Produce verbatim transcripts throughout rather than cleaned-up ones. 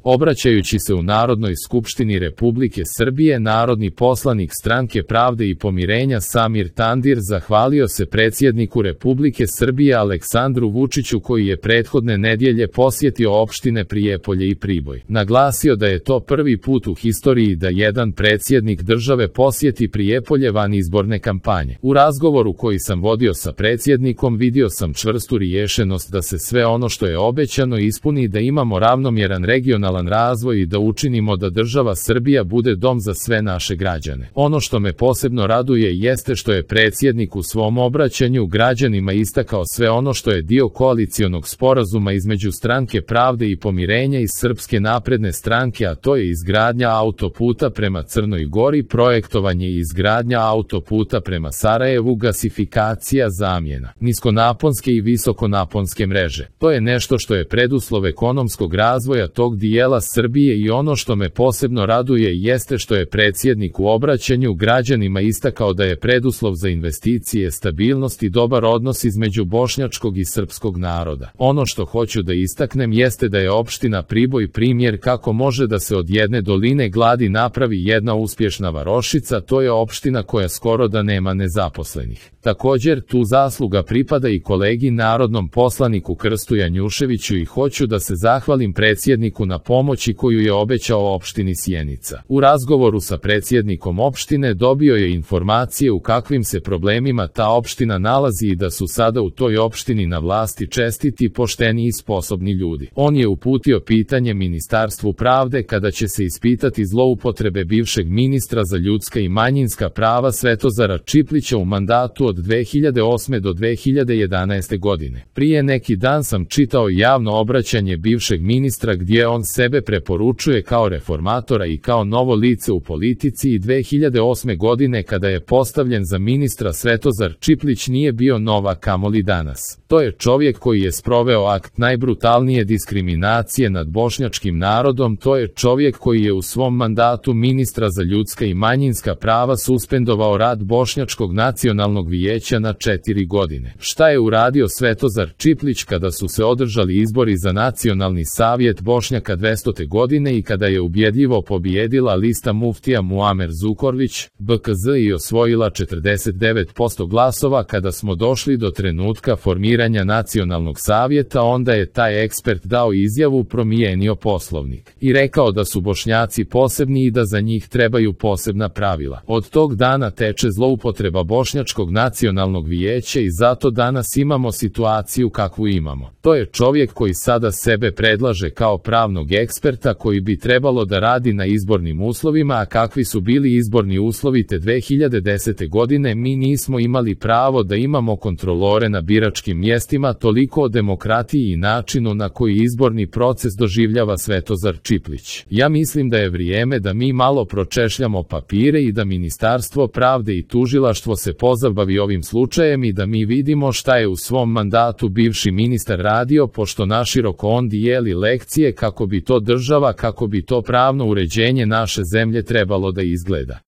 Obraćajući se u Narodnoj skupštini Republike Srbije, narodni poslanik Stranke pravde i pomirenja Samir Tandir zahvalio se predsjedniku Republike Srbije Aleksandru Vučiću koji je prethodne nedjelje posjetio opštine Prijepolje i Priboj. Naglasio da je to prvi put u historiji da jedan predsjednik države posjeti Prijepolje van izborne kampanje. U razgovoru koji sam vodio sa predsjednikom vidio sam čvrstu riješenost da se sve ono što je obećano ispuni, da imamo ravnomjeran regionalan razvoj i da učinimo da država Srbija bude dom za sve naše građane. Ono što me posebno raduje jeste što je predsjednik u svom obraćanju građanima istakao sve ono što je dio koalicionog sporazuma između Stranke pravde i pomirenja i Srpske napredne stranke, a to je izgradnja autoputa prema Crnoj Gori, projektovanje i izgradnja autoputa prema Sarajevu, gasifikacija, zamjena niskonaponske i visokonaponske mreže. To je nešto što je preduslov ekonomskog razvoja tog dijela Srbije i ono što me posebno raduje jeste što je predsjednik u obraćanju građanima istakao da je preduslov za investicije, stabilnost i dobar odnos između bošnjačkog i srpskog naroda. Ono što hoću da istaknem jeste da je opština Priboj primjer kako može da se od jedne doline gladi napravi jedna uspješna varošica, to je opština koja skoro da nema nezaposlenih. Također, tu zasluga pripada i kolegi narodnom poslaniku Krstu Janjuševiću i hoću da se zahvalim predsjedniku na pomoći koju je obećao opštini Sjenica. U razgovoru sa predsjednikom opštine dobio je informacije u kakvim se problemima ta opština nalazi i da su sada u toj opštini na vlasti čestiti, pošteni i sposobni ljudi. On je uputio pitanje Ministarstvu pravde kada će se ispitati zloupotrebe bivšeg ministra za ljudska i manjinska prava Svetozara Čiplića u mandatu od dve hiljade osme do dve hiljade jedanaeste godine. Prije neki dan sam čitao javno obraćanje bivšeg ministra gdje on sebe preporučuje kao reformatora i kao novo lice u politici i dve hiljade osme godine kada je postavljen za ministra Svetozar Čiplić nije bio nova, kamoli danas. To je čovjek koji je sproveo akt najbrutalnije diskriminacije nad bošnjačkim narodom, to je čovjek koji je u svom mandatu ministra za ljudska i manjinska prava suspendovao rad Bošnjačkog nacionalnog vijeća na četiri godine. Šta je uradio Svetozar Čiplić kada su se održali izbori za Nacionalni savjet Bošnjaka dvestute godine i kada je ubjedljivo pobijedila lista muftija Muamer Zukorlić, B K Z, i osvojila četrdeset devet posto glasova? Kada smo došli do trenutka formiranja Nacionalnog savjeta, onda je taj ekspert dao izjavu, promijenio poslovnik i rekao da su Bošnjaci posebni i da za njih trebaju posebna pravila. Od tog dana teče zloupotreba Bošnjačkog nacionalnog vijeća i zato danas imamo situaciju kakvu imamo. To je čovjek koji sada sebe predlaže kao pravnog eksperta koji bi trebalo da radi na izbornim uslovima, a kakvi su bili izborni uslovi te dve hiljade desete godine? Mi nismo imali pravo da imamo kontrolore na biračkim mjestima. Toliko o demokratiji i načinu na koji izborni proces doživljava Svetozar Čiplić. Ja mislim da je vrijeme da mi malo pročešljamo papire i da Ministarstvo pravde i tužilaštvo se pozabavi ovim slučajem i da mi vidimo šta je u svom mandatu bivši ministar radio, pošto naširoko on dijeli lekcije kako bi to država, kako bi to pravno uređenje naše zemlje trebalo da izgleda.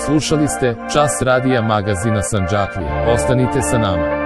Slušali ste Čas radija magazina Sandžaklija. Ostanite sa nama.